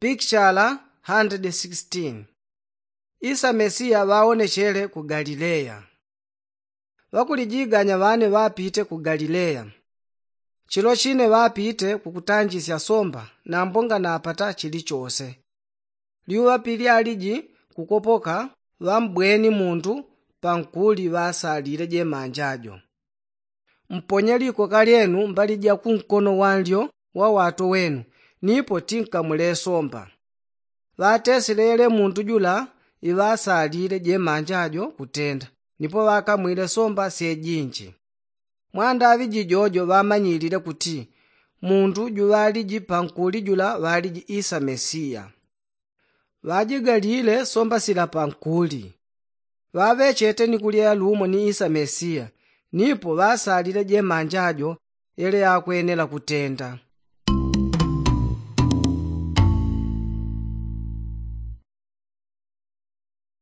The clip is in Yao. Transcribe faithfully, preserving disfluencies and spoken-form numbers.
Pikichala handredi sikisitini. Isa mesiya ŵaonechele ku galileya. Ŵakulijiganya ŵane ŵapite ku galileya. Chilo chine ŵapite kukutanjisya somba nambo nganapata chilichose. Lyuŵa pilyaliji kukopoka, ŵambweni mundu pankuli ŵasalile jemanja jo. Mponye likoka lyenu mbali ja kunkono wanlyo wa wato wenu, nipo tinkamwile somba. Ŵateselele mundu jula iŵasalile jemanja jo kutenda, nipo ŵakamwile somba syejinji. Mwandaŵi jijojo ŵamanyilile kuti mundu juŵaliji pankuli jula ŵaliji isa mesiya. Ŵajigalile somba sila pankuli. Ŵaŵechete ni kulya yalumo ni isa mesiya, nipo ŵasalile jemanja jo yele yakwenela kutenda.